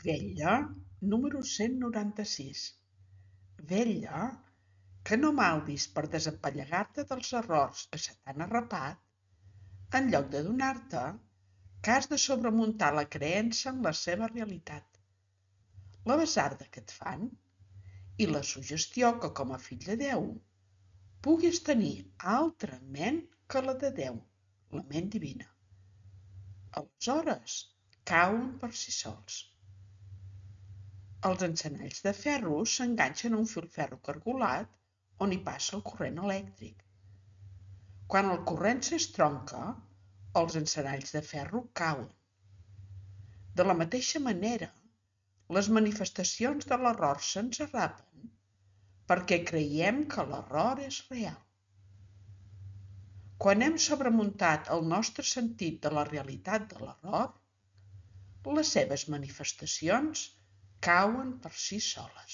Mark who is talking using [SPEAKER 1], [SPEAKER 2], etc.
[SPEAKER 1] Vetlla número 196. Vetlla, que no malvis per desempallegar-te dels errors que se t'han arrapat, en lloc d'adonar-te que has de sobremuntar la creença en la seva realitat, la basarda que et fan i la suggestió que com a fill de Déu puguis tenir altra ment que la de Déu, la ment divina. Aleshores, cauen per si sols. Els encenalls de ferro s'enganxen a un filferro cargolat on hi passa el corrent elèctric. Quan el corrent s'estronca, els encenalls de ferro cauen. De la mateixa manera, les manifestacions de l'error se'ns arrapen perquè creiem que l'error és real. Quan hem sobremuntat el nostre sentit de la realitat de l'error, les seves manifestacions cauen per si soles.